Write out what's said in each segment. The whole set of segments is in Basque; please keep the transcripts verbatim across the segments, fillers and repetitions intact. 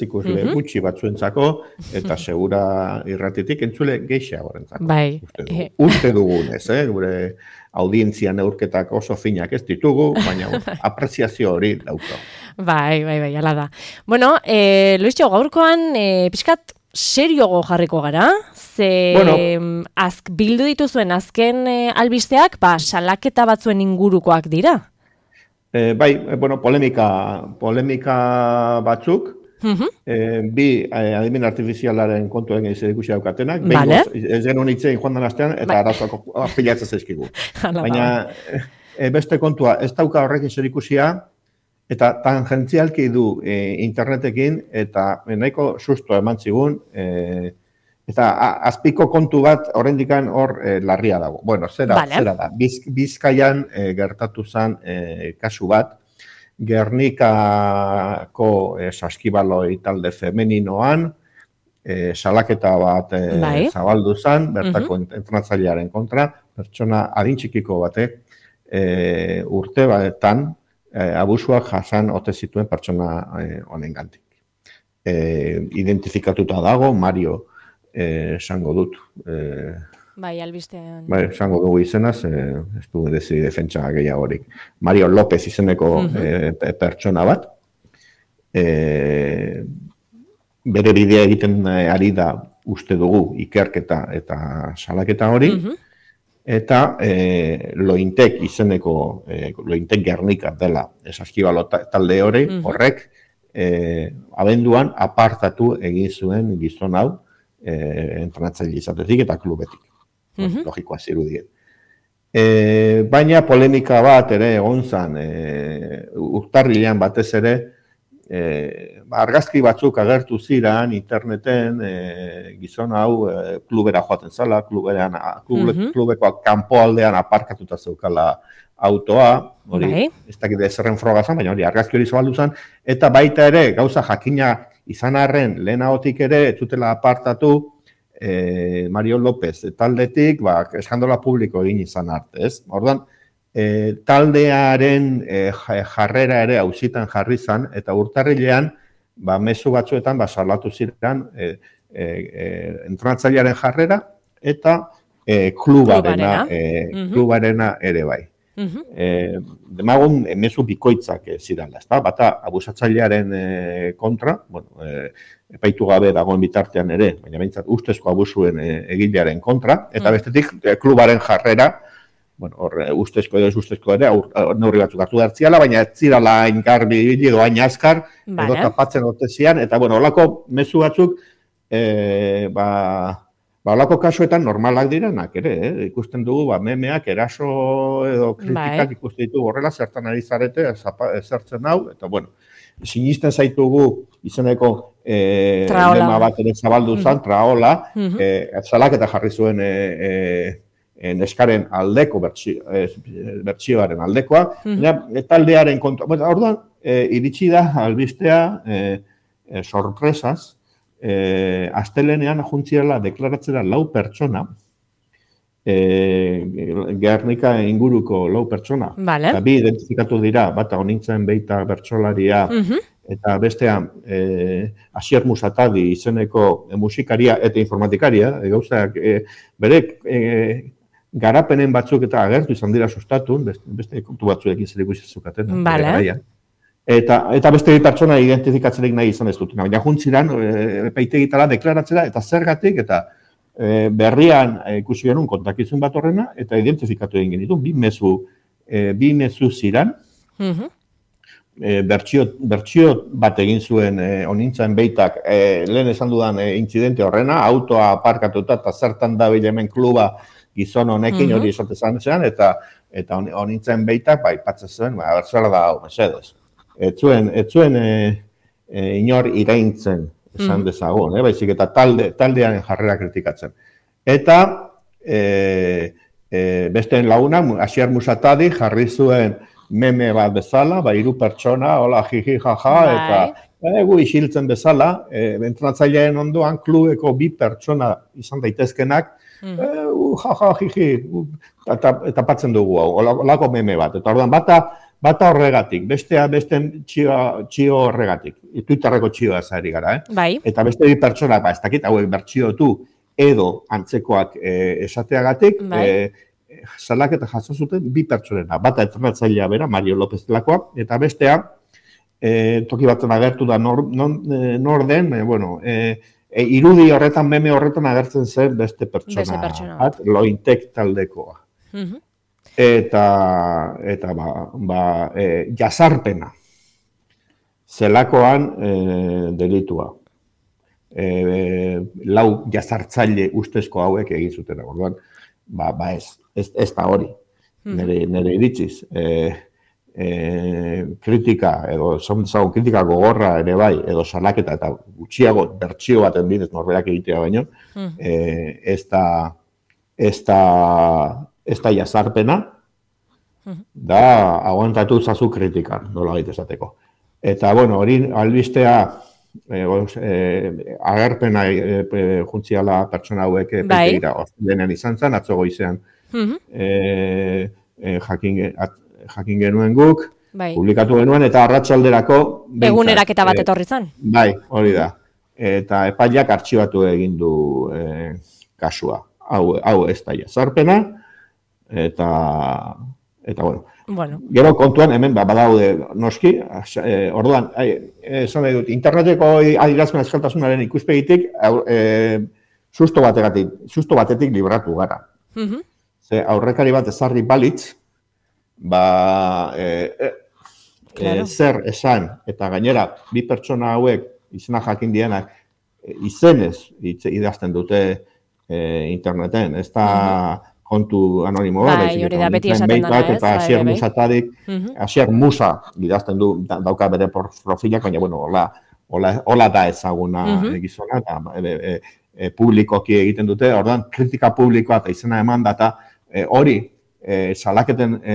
ikusle Mhm. gutxi batzuentzako, eta segura irratitik entzule gehiagorentzako. Bai. Uste dugu. Uste dugunez, eh? Gure audientzia neurketak oso finak ez ditugu, baina apreziazio hori daukagu. Bai, bai, bai, ala da. Bueno, eh, Luisio, gaurkoan eh, pixkat seriogo jarriko gara, ze Bueno. azk, bildu dituzuen azken eh, albisteak, ba, salaketa batzuen ingurukoak dira. Eh, bai, eh, bueno, polemika, polemika batzuk, Mhm. eh, bi eh, adimen artifizialaren kontuen ez ikusi daukatenak, Vale. behingoz, ez genuen hitzein joan den astean, eta Bai. arazoak pilatzen zaizkigu. Hala da, Baina eh, beste kontua, ez dauka horrekin zer ikusia, eta tangentzialki du eh, internetekin, eta nahiko susto eman zigun, eh, eta a- azpiko kontu bat oraindikan hor eh, larria dago. Bueno, zera, Vale. zera da, Biz, Bizkaian eh, gertatu zen eh, kasu bat, Gernikako eh, saskibaloi talde femeninoan, eh, salaketa bat eh, Bai. zabaldu zen, bertako uh entrenatzailearen kontra, pertsona adin txikiko batek eh, urte batetan eh, abusuak jasan ote zituen pertsona eh, honengandik. Eh, identifikatuta dago, Mario eh, esango dut. Eh, bai, albistean. bai, esango dugu izenaz, eh, ez du dezi defentsa gehiagorik. Mario López izeneko Mhm. eh, pe- pertsona bat. Eh, bere bidea egiten eh, ari da uste dugu ikerketa eta salaketa hori. Mhm. Eta eh, Lointek izeneko, eh, Lointek Gernika dela esaskibalo talde hori, Mhm. horrek, eh, abenduan apartatu egin zuen gizon hau eh, entrenatzaile izatetik eta klubetik. Mhm. Logikoa zirudien. E, baina polemika bat ere egon zen, e, urtarrilean batez ere, e, argazki batzuk agertu ziren interneten, e, gizon hau e, klubera joaten zala, kluberan, klube, Mhm. klubeko kanpoaldean aparkatuta zeukala autoa, hori, Bai. ez dakit zerren froga zen, baina hori argazki hori zabaldu zen, eta baita ere, gauza jakina izan arren, lehenagotik ere, ez zutela apartatu, eh, Mario López taldetik, ba, eskandola publiko egin izan arte, ez? Orduan, eh, taldearen eh, jarrera ere auzitan jarri zan, eta urtarrilean, ba, mezu batzuetan, ba, salatu ziren eh, eh, eh, entrenatzailearen jarrera, eta eh, klubarena, Klubarena. eh, Mhm. klubarena ere bai. Mhm. Eh, demagun eh, mezu bikoitzak eh, zirala, ezta? Bata abusatzailearen eh, kontra, bueno, eh, epaitu gabe dagoen bitartean ere, baina behintzat ustezko abusuen eh, egilearen kontra, eta Mm. bestetik eh, klubaren jarrera, bueno, hor eh, ustezko edo ez ustezko ere, aur, aur, neurri batzuk hartu dartziala, baina ez zirala hain garbi ibili edo hain azkar, edo Vale. tapatzen ote zian, eta bueno, holako mezu batzuk, eh, ba, Ba, holako kasuetan normalak direnak ere, eh? Ikusten dugu, ba, memeak eraso edo kritikak Bai. ikusten ditugu horrela, zertan ari zarete, ezapa- ezertzen hau, eta bueno, sinisten zaitugu izeneko eh, Traola. lema bat ere zabaldu zen, traola, Mhm. eh, salaketa jarri zuen eh, eh, eh, neskaren aldeko, bertsio, eh, bertsioaren aldekoa, Mhm. baina taldearen kontra. Bueno, orduan, eh, iritsi da albistea eh, eh, sorpresaz, eh, astelenean juntziela deklaratzera lau pertsona, eh, Gernika inguruko lau pertsona, Vale. eta bi identifikatu dira, bata honintzen beita bertsolaria, Mhm. eta bestean eh, Asier Musatadi izeneko eh, musikaria eta informatikaria, e, gauzak eh, berek eh, garapenen batzuk eta agertu izan dira sustatun, beste, beste kontu batzuekin zer ikusi zukaten. bere Vale. garaian. Eta, eta beste bi pertsona identifikatzerik nahi izan ez dutena. Baina juntziran, e, epaitegitara deklaratzera, eta zergatik, eta e, berrian e, ikusi genuen kontakizun bat horrena, eta identifikatu egin genitu, bi mezu, e, bi mezu ziran, Mhm. e, bertsio, bertsio bat egin zuen e, onintzen beitak, e, lehen esan dudan e, intzidente horrena, autoa aparkatuta eta zertan da hemen kluba gizon honekin Mhm. hori esatezan zean, eta eta on- onintzen beitak, bai, patzen zuen, ba, zer da hau, mesedez. Ez zuen, ez zuen e, e, inor iraintzen, esan Mhm. dezagun, eh? Baizik eta talde, taldearen jarrera kritikatzen. Eta e, e, besteen laguna, Asier Musatadi jarri zuen meme bat bezala, ba, hiru pertsona, hola, jiji, jaja, Bai. eta egu isiltzen bezala, e, entrenatzaileen ondoan klubeko bi pertsona izan daitezkenak, Mhm. e, uh, jaja, jiji, uh, eta, eta patzen dugu hau, holako meme bat. Eta orduan bata, bata horregatik, bestea beste txio, txio horregatik. Twitterreko txioa zari gara, eh? Bai. Eta beste bi pertsona, ba, ez dakit hauek bertxiotu edo antzekoak eh, esateagatik, bai. eh, salaketa jaso zuten bi pertsonena. Bata entrenatzailea bera, Mario López delakoa, eta bestea, eh, toki batzen agertu da nor, non, eh, nor den, eh, bueno, eh, E, irudi horretan, meme horretan agertzen zen beste pertsona, beste pertsona. Bat, Lointek taldekoa. Uh-huh. Eta, eta ba, ba, e, jazarpena, zelakoan e, delitua. E, e, lau jazartzaile ustezko hauek egin zuten, orduan, ba, ba ez, ez, ez da hori, uh-huh. nire, nire iritziz. E, E, kritika, edo zaun kritika gogorra ere bai, edo salaketa eta gutxiago bertsio baten bidez norberak egitea baino, mm. e, ez da ez da ez da jazarpena, mm. da aguantatu zazu kritika, nola baita esateko. Eta, bueno, hori albistea e, e, agerpena e, e, juntziala pertsona hauek bai. Peiteira lehenen izan zen, atzo goizean mm-hmm. e, e, jakin at, jakin genuen guk, bai. Publikatu genuen, eta arratsalderako eguneraketa bat etorri zen. E, bai, hori da. Eta epaileak artxibatu egin du e, kasua. Hau, hau ez da jazarpena, eta, eta bueno. bueno. Gero kontuan, hemen ba, badaude noski, e, orduan, esan dut, interneteko adierazpen eskaltasunaren ikuspegitik, e, susto batetik, susto batetik libratu gara. Mm-hmm. Ze aurrekari bat ezarri balitz, ba, e, e, claro. e, zer esan, eta gainera, bi pertsona hauek, izena jakin dienak, e, izenez idazten dute e, interneten, ez da uh-huh. kontu anonimo bat, bai, hori da, beti esaten dana ez, eta Asier Musatarik, uh-huh. Asier Musa idazten du, dauka bere profilak, baina, bueno, hola, hola, hola da ezaguna uh-huh. gizona, eta e, e, e, publikoki egiten dute, ordan kritika publikoa eta izena eman data, hori, e, E, salaketen e,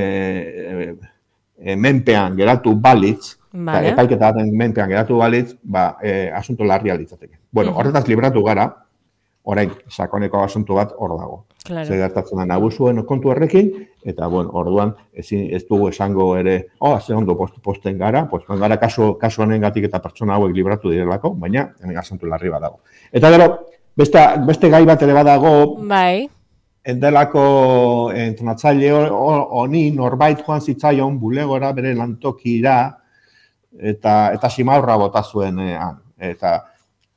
e, menpean geratu balitz, vale. Epaiketa baten menpean geratu balitz, ba, e, asunto larria litzateke. Bueno, uh-huh. horretaz libratu gara, orain, sakoneko asunto bat hor dago. Claro. Zer gertatzen da nagusuen kontu horrekin, eta, bueno, orduan, ezin, ez dugu esango ere, oh, ze ondo post, posten gara, posten gara kasu, kasu honengatik eta pertsona hauek libratu direlako, baina, hemen asunto larri bat dago. Eta gero, beste, beste gai bat ere badago, bai. Endelako entrenatzaile honi norbait joan zitzaion bulegora bere lantokira eta eta simaurra bota zuen han. Eta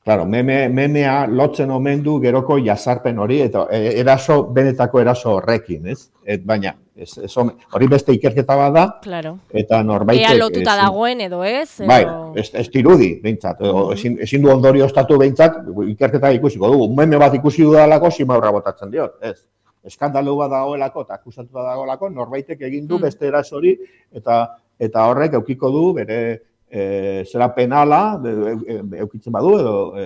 claro, meme, memea lotzen omen du geroko jazarpen hori eta eraso benetako eraso horrekin, ez? Et baina ez, ez hori beste ikerketa bada. Claro. Eta norbaitek ea lotuta ez, dagoen edo ez? Edo... Bai, ez, ez dirudi behintzat, edo mm-hmm. ezin, ezin du ondorioztatu behintzat, ikerketa ikusiko dugu. Meme bat ikusi dudalako simaurra botatzen diot, ez? Eskandalu bat dagoelako eta akusatu bat dagoelako, norbaitek egin du beste erasori eta eta horrek eukiko du bere e, zera penala eukitzen badu edo e,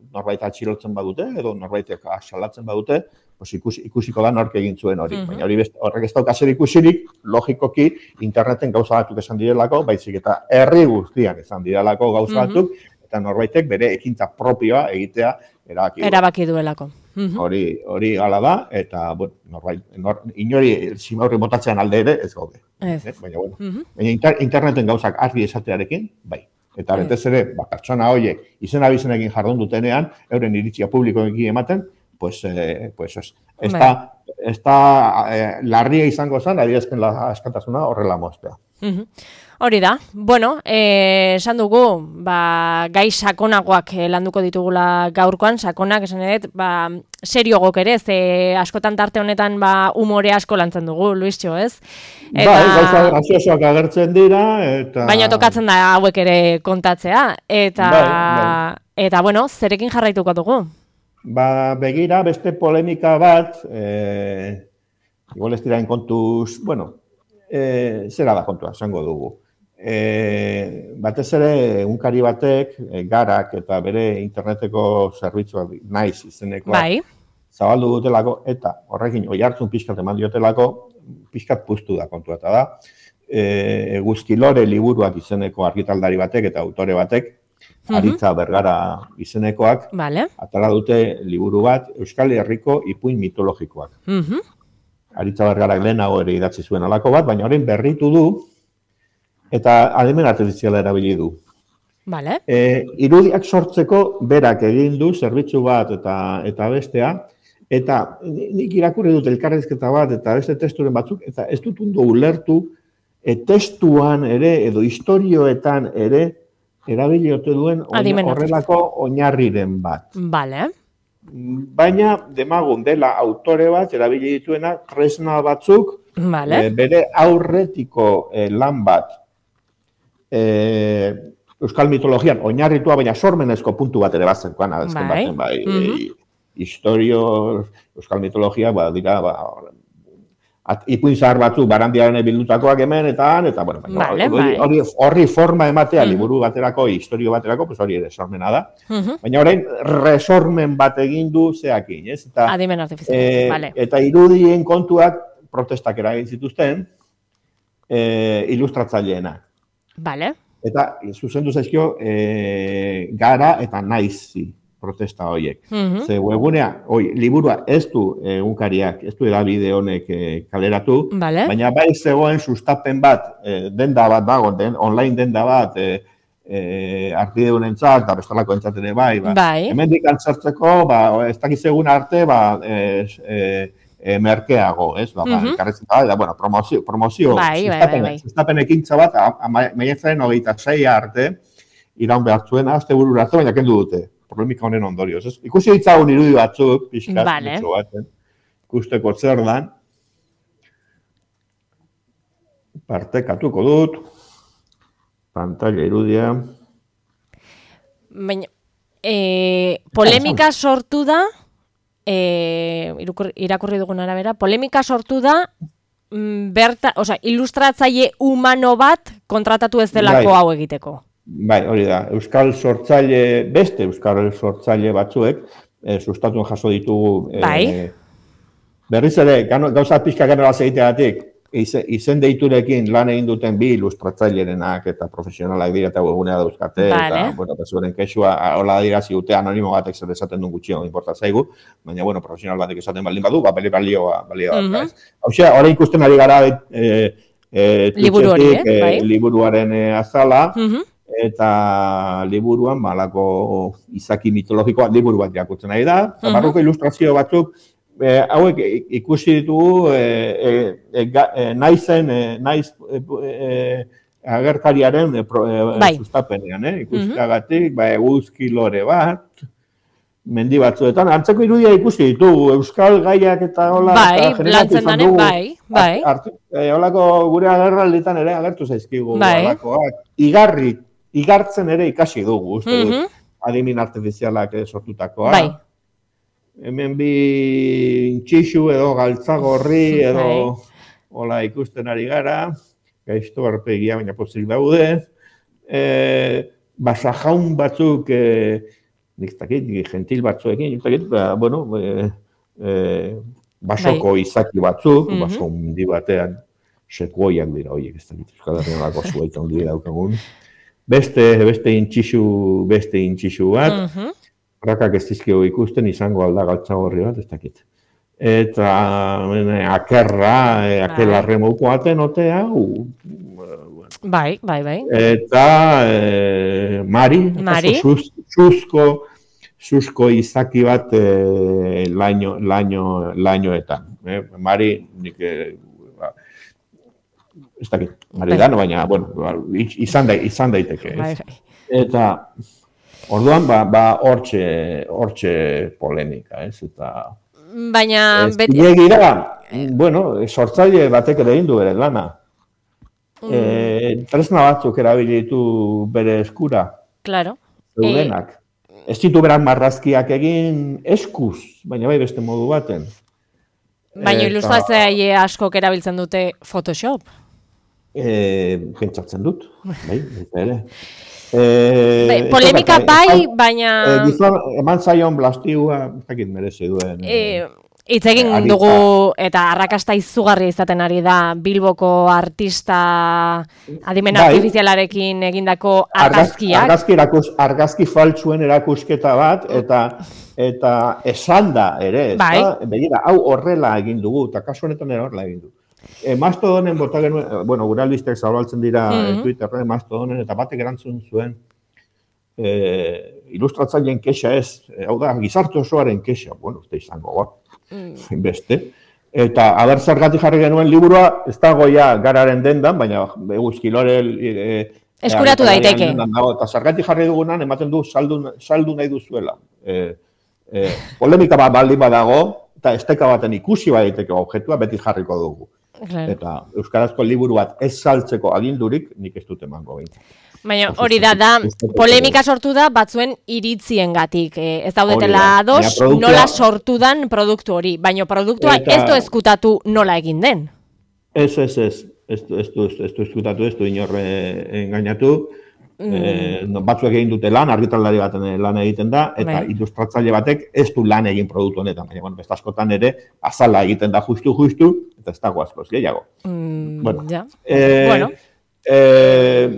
norbait atxilotzen badute edo norbaitek asalatzen badute, pues ikusi, ikusiko da nork egin zuen hori. Uh-huh. Baina hori beste, horrek ez dauka zer ikusirik, logikoki interneten gauza batzuk esan direlako, baizik eta herri guztian esan direlako gauza batzuk, uh-huh. eta norbaitek bere ekintza propioa egitea erabaki, erabaki duelako. Hori, hori hala da, eta, bueno, norbait, nor, inori simaurri botatzean alde ere, ez gaude. Ez. Eh? Baina, bueno, uh-huh. baina inter, interneten gauzak argi esatearekin, bai. Eta betez ere, ba, pertsona horiek izen abizenekin jardun dutenean, euren iritzia publikoekin ematen, pues, eh, pues, ez, ez da, ez da eh, larria izango zen, adierazpen askatasuna horrela moztea. Uh-huh. Hori da, bueno, eh, esan dugu, ba, gai sakonagoak landuko ditugula gaurkoan, sakonak, esan edet, ba, seriogok ere, ze askotan tarte honetan ba, umore asko lantzen dugu, Luistxo, ez? Eta... Bai, gauza graziosoak agertzen dira, eta... Baina tokatzen da hauek ere kontatzea, eta, bai, bai. Eta bueno, zerekin jarraituko dugu? Ba, begira, beste polemika bat, eh, igual ez dirain kontuz, bueno, eh, zera da kontua, esango dugu. E, batez ere, egunkari batek, e, garak eta bere interneteko zerbitzuak naiz izenekoa bai. Zabaldu dutelako, eta horrekin oihartzun pixkat eman diotelako, pixkat puztu da kontua, eta da, e, Eguzkilore liburuak izeneko argitaldari batek eta autore batek, uh-huh. Aritza Bergara izenekoak, vale. Atala dute liburu bat Euskal Herriko ipuin mitologikoak. Uh-huh. Aritza Bergarak lehenago ere idatzi zuen alako bat, baina orain berritu du, eta adimen artifiziala erabili du. Vale. E, irudiak sortzeko berak egin du zerbitzu bat eta eta bestea, eta nik irakurri dut elkarrizketa bat eta beste testuren batzuk, eta ez dut ondo ulertu e, testuan ere edo istorioetan ere erabili ote duen horrelako oinarriren bat. Vale. Baina demagun dela autore bat erabili dituena tresna batzuk vale. e, bere aurretiko e, lan bat e, euskal mitologian oinarritua, baina sormenezko puntu bat ere bazenkoan, azken bai. baten, bai, Mm -hmm. e, historio, euskal mitologia, ba, dira, ba, ipuin zahar batzu barandiaren bildutakoak hemen, eta han, eta, bueno, vale, hori, hori, horri forma ematea, mm -hmm. liburu baterako, historio baterako, pues hori ere sormena da. Mm -hmm. Baina orain, resormen bat egin du zeakin, ez? Eta, adimen artifizial, e, vale. Eta irudien kontuak protestak eragin zituzten, e, ilustratzaileenak. Vale. Eta zuzendu zaizkio e, gara eta naizi protesta horiek. Mm -hmm. Ze webgunea, oi, liburua ez du egunkariak, ez du edabide honek e, kaleratu, vale. baina bai zegoen sustapen bat, e, denda bat dago, den, online denda bat, e, e, artideunentzat, eta bestalako entzat ere bai, ba. bai. Hemendik antzartzeko, ba, ez dakiz egun arte, ba, e, e, E, merkeago, ez? Ba, mm -hmm. da, bueno, promozio, promozio bai, sustapen, bai, bai. sustapen ekintza bat, maiatzaren hogeita sei arte, iraun behar zuen, azte burura arte, baina kendu dute, polemika honen ondorioz. Ez? Ikusi ditzagun irudi batzuk, pixkat, vale. baten, ikusteko zer dan, partekatuko dut, pantalla irudia. Baina, e, polemika sortu da, E, irakurri dugun arabera, polemika sortu da berta, osea, ilustratzaile humano bat kontratatu ez delako bai. hau egiteko. Bai, hori da. Euskal sortzaile, beste euskal sortzaile batzuek, e, sustatuen jaso ditugu bai. e, berriz ere, gauza pixka ganoraz egiteagatik, izen deiturekin lan egin duten bi ilustratzaileenak eta profesionalak dira eta webgunea dauzkate, vale. Eta, bueno, pesuaren kexua, hola dira ziute anonimo batek zer esaten duen gutxio, importa zaigu, baina, bueno, profesional batek esaten baldin badu, ba, balioa, balioa. Mm -hmm. Hau xe, horrein ikusten ari gara e, e, liburu hori, eh? e, bai. liburuaren e, azala, mm -hmm. eta liburuan, balako izaki mitologikoa liburu bat irakurtzen nahi da, mm -hmm. barruko ilustrazio batzuk, E, hauek ikusi ditugu e, e, e, e, naizen, e, naiz e, e, agerkariaren e, pro, e, bai. sustapenean, eh? Ikusteagatik, mm -hmm. ba, eguzki lore bat, mendi batzuetan, antzeko irudia ikusi ditugu, euskal gaiak eta hola, bai, lantzen danen, bai, bai. E, holako gure agerralditan ere agertu zaizkigu, bai. Holakoak, igarri, igartzen ere ikasi dugu, uste mm -hmm. dut, adimin artifizialak sortutakoa. Bai. Hemen bi intxixu edo galtzagorri edo hola ikusten ari gara, gaizto arpegia baina pozik daude, e, basajaun batzuk, e, nik dakit, gentil batzuekin, nik dakit, ba, bueno, e, e, basoko bai. izaki batzuk, mm -hmm. baso hundi batean, sekuoiak dira, oiek, ez dakit, Euskal Herrian lako zuaita hundi daukagun, beste, beste intxixu, beste intxixu bat, mm -hmm. Rakak ez dizkio ikusten izango alda galtzagorri bat, ez dakit. Eta mene, akerra, e, akelarre mouko aten otea, u, bai, bai, bai. Eta e, Mari, Mari. Sus, susko, susko izaki bat e, laino, laino, lainoetan. E, Mari, nik, e, ba, ez dakit, Mari da, no, baina, bueno, izan, da, izan daiteke. Bai, bai. Eta... Orduan, ba, ba, hortxe, hortxe polemika, ez, eta... Baina... Ez, beti... Gira, bueno, sortzaile batek ere egin du bere lana. Mm. E, tresna batzuk erabilitu bere eskura. Claro. Zeudenak. E... Ez ditu beran marrazkiak egin eskuz, baina bai beste modu baten. Baina eta... ilustratzaile askok erabiltzen dute Photoshop? E, pentsatzen dut, bai, eta ere. Eh, polemika bai, baina... Eh, gizon, eman zaion blastigua, ez dakit merezi duen. Eh, Hitz egin eh, dugu, eta arrakasta izugarria izaten ari da, Bilboko artista adimen bai, artifizialarekin egindako argazkiak. Argazki, arakus, argazki faltsuen erakusketa bat, eta eta esan da ere, ez bai. da? Begira, hau horrela egin dugu, eta kasu honetan ere horrela egin du. E, Mastodonen bota genuen, bueno, gure albistek zabaltzen dira Mhm. Twitterren, Mastodonen, eta batek erantzun zuen, e, ilustratzaileen kexa ez, e, hau da, gizarte osoaren kexa, bueno, uste izango, ba, beste. Eta aber zergatik jarri genuen liburua, ez dago ja gararen dendan, baina eguzkilore e, eskuratu daiteke. Dago, eta zergatik jarri dugunan, ematen du saldu, saldu nahi duzuela. E, e, polemika bat baldin badago, eta esteka baten ikusi baiteke objektua, beti jarriko dugu. Claro. Eta euskarazko liburu bat ez saltzeko agindurik, nik ez dut emango behin. Baina hori da, da, polemika sortu da batzuen iritziengatik. Eh, ez daudetela ados, nola sortu dan produktu hori. Baina produktua eta... ez du ezkutatu nola egin den. Ez, ez, ez. Ez du, ez du, ez du ezkutatu, ez du inorre engainatu. Mm. Eh, no, batzuek egin dute lan, argitalari baten lan egiten da, eta bai. Ilustratzaile batek ez du lan egin produktu honetan. Baina, bueno, beste askotan ere, azala egiten da justu-justu, eta ez dago askoz, gehiago. Mm, bueno. Ja. Eh, bueno. Eh,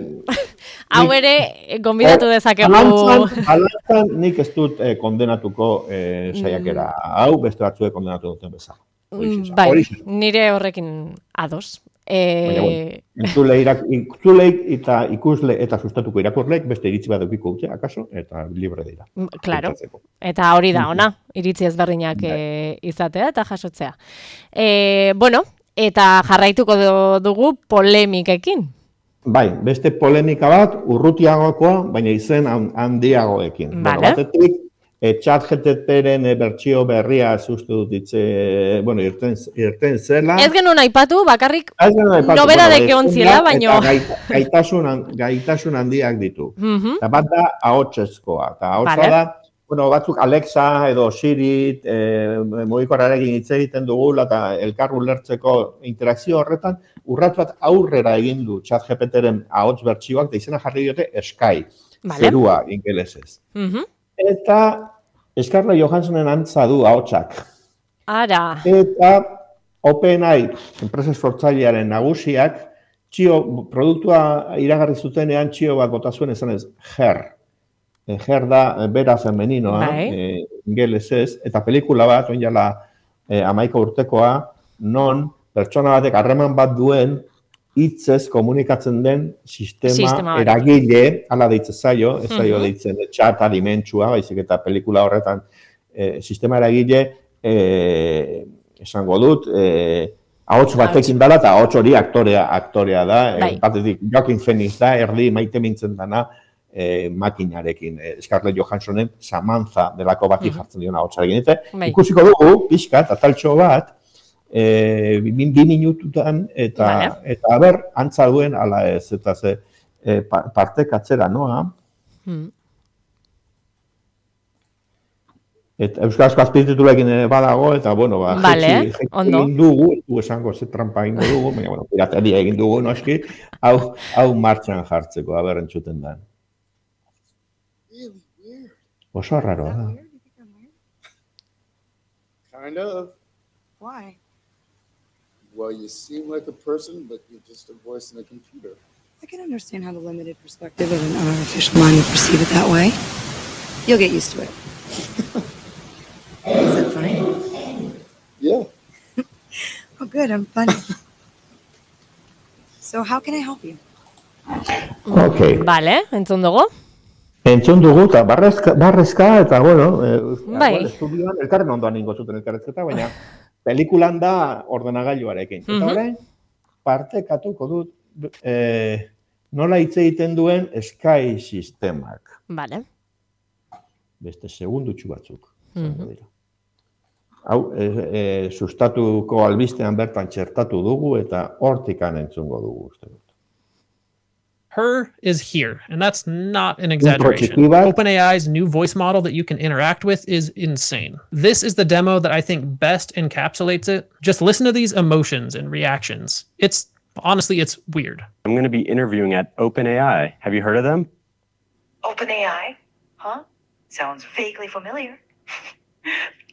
Hau ere, gonbidatu dezakegu... Alantzan, alantzan nik ez dut eh, kondenatuko eh, saiakera hau, beste batzuek kondenatu duten bezala. Mm, bai, nire horrekin ados. E... Entzuleik eta ikusle eta sustatuko irakurleek beste iritzi bat edukiko dute, akaso, eta libre dira. Claro, eta hori da ona, iritzi ezberdinak e, izatea eta jasotzea. E, bueno, eta jarraituko dugu polemikekin. Bai, beste polemika bat, urrutiagokoa, baina izen handiagoekin. Vale. Bueno, batetik, E, ChatGPTren bertsio berria sustu dut ditze, bueno, irten, irten zela. Ez genuen aipatu, bakarrik nobera bueno, deke ontziela, baino... Gaitasun, gaitasun handiak ditu. Uh-huh. Eta bat da, ahotsezkoa. Eta ahotsa vale. Da, bueno, batzuk Alexa edo Siri, e, mugikorrarekin hitz egiten dugula, eta elkar ulertzeko interakzio horretan, urrat bat aurrera egin du ChatGPTren ahots bertsioak, eta izena jarri diote Sky, vale. Zerua ingelesez. Uh-huh. Eta Scarlett Johanssonen antza du ahotsak. Ara. Eta OpenAI, enpresa sortzailearen nagusiak, txio, produktua iragarri zutenean txio bat bota zuen esanez, her. Her da, bera femeninoa, e, ingelesez, eta pelikula bat, oin jala e, amaika urtekoa, non pertsona batek harreman bat duen, hitzez komunikatzen den sistema, sistema eragile, ala deitzen zaio, ez zaio uh-huh. deitzen txat alimentsua, baizik eta pelikula horretan eh, sistema eragile, eh, esango dut, eh, ahots batekin dala, eta ahots hori aktorea, aktorea da, eh, batetik Joaquin Phoenix da, erdi maite mintzen dana eh, makinarekin, eh, Scarlett Johanssonen Samantha delako bati uh-huh. jartzen diona ahotsarekin. Eta ikusiko dugu, pixkat, ataltxo bat, E, bi, bi minututan, eta, vale. Eta aber, antza duen, ala ez, eta ze, e, parte katzera noa. Hmm. Eta euskarazko azpititulekin badago, eta, bueno, ba, vale, jetzi, jetzi egin dugu, du esango ze trampa egin dugu, baina, bueno, pirateria egin dugu, noski, hau, hau martxan jartzeko, aber entzuten da. Oso arraroa da. Kind of. Why? Well, you seem like a person, but you're just a voice in a computer. I can understand how the limited perspective of an artificial mind would perceive it that way. You'll get used to it. Is that funny? Yeah. Oh, good, I'm funny. So how can I help you? Okay. Vale, entzun dugu. Entzun dugu, eta barrezka, barrezka eta, bueno, eh, bai. Estudioan, elkarren ondoan ingo zuten elkarrezketa, baina pelikulan da ordenagailuarekin. Eta uh-huh. orain, partekatuko dut eh, nola hitz egiten duen Sky sistemak. Vale. Beste segundutxu batzuk. Uh-huh. Hau, e, e, sustatuko albistean bertan txertatu dugu eta hortikan entzungo dugu. Uste. Her is here, and that's not an exaggeration. OpenAI's new voice model that you can interact with is insane. This is the demo that I think best encapsulates it. Just listen to these emotions and reactions. It's, honestly, it's weird. I'm going to be interviewing at OpenAI. Have you heard of them? OpenAI? Huh? Sounds vaguely familiar.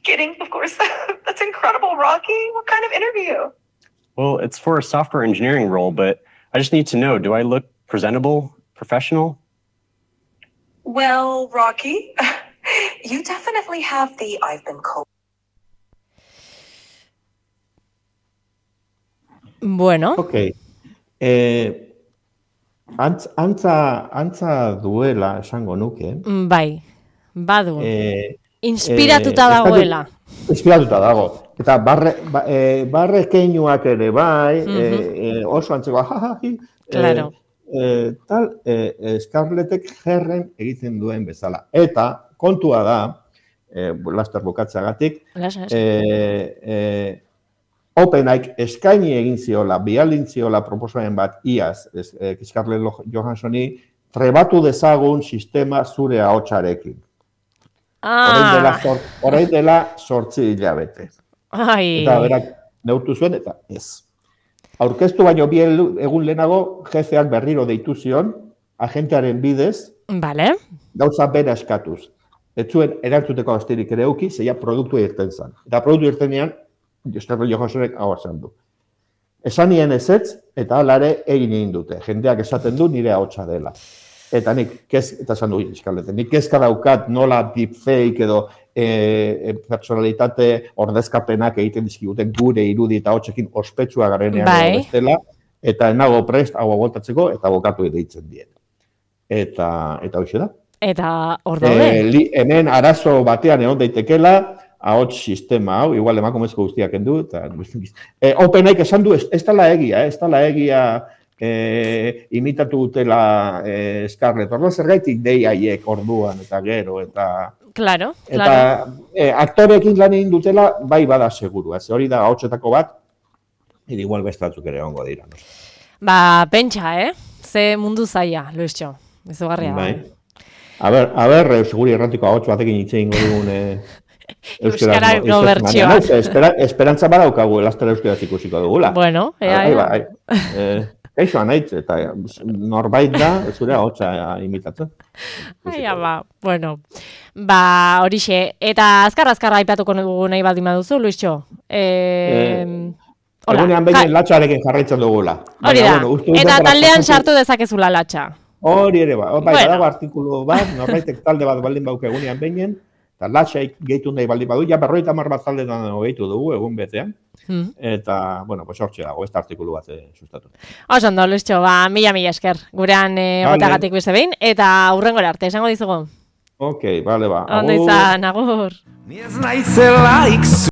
Kidding, of course. That's incredible, Rocky. What kind of interview? Well, it's for a software engineering role, but I just need to know, do I look presentable, professional? Well, Rocky, you definitely have the I've been cold. Bueno. Ok. Eh, antz, antza, antza duela esango nuke. Bai, badu. Eh, Inspiratuta eh, dagoela. Inspiratuta dago. Eta barre, ba, eh, barre keinuak ere bai, uh-huh. eh, eh, oso antzeko, jajaji, claro. eh, tal, eh, Scarlettek Herren egiten duen bezala. Eta kontua da, eh, laster bukatzagatik, eh, eh, OpenAI eskaini egin ziola, bialin ziola proposamen bat iaz, eh, Scarlett Johanssoni, trebatu dezagun sistema zure ahotsarekin. Ah. Orain dela sortzi hilabete. Ai. Eta berak neurtu zuen, eta ez. Aurkeztu baino bi egun lehenago, jefeak berriro deitu zion, agentearen bidez, vale. Gauza bera eskatuz. Ez zuen erantzuteko astirik ere euki, zeia produktu irten zen. Eta produktu irtenean, Scarlett Johanssonek hau esan du. Esan nien ezetz, eta alare egin egin dute. Jendeak esaten du nire ahotsa dela. Eta nik, kez, eta esan du Scarlett, nik kezka daukat nola deepfake edo e, personalitate ordezkapenak egiten dizkiguten gure irudi eta hotzekin ospetsua garenean bai. Bestela, eta enago prest hau aboltatzeko eta bokatu deitzen dien. Eta, eta hoxe da. Eta hor daude. E, hemen arazo batean egon daitekela, ahots sistema hau, igual emakumezko guztiak endu, eta e, OpenAI esan du, ez, ez tala egia, ez tala egia e, imitatu dutela e, Scarlett, orduan zergaitik dei haiek orduan, eta gero, eta... Claro, eta, claro. E, aktorekin lan egin dutela, bai bada seguru, ez hori da ahotsetako bat, eta igual bestatzuk ere ongo dira. No? Ba, pentsa, eh? Ze mundu zaila, Luistxo, izugarria. Bai. A ber, a ber, seguri erratiko ahots batekin hitze ingo dugun... E, Euskara no bertsioa. Espera, esperantza badaukagu elastera euskaraz ikusiko dugula. Bueno, ea, ea. Bai, eh, Kaixo anaitz, eta norbait da, zure ahotsa imitatzen. Aia, ba, bueno. Ba, horixe. Eta azkar-azkarra aipatuko dugu nahi baldin baduzu, Luistxo. Eh, Hola. Egunean behin latxarekin jarraitzen dugula. Hori da. Bueno, eta taldean sartu dezakezula latxa. Hori ere, ba. Bai, bueno. Badago artikulu bat, norbaitek talde bat baldin bauke egunean behinen, eta latxaik gehitu nahi baldin badu, ja berroita mar bat taldetan gehitu dugu egun betean. Hmm. Eta, bueno, pues hortxe dago, ez artikulu bat eh, sustatu. Oso ondo, Luistxo, ba, mila mila esker, gurean eh, gotagatik beste behin, eta hurrengora arte, esango dizugu. Ok, bale, ba. Ondo izan, agur.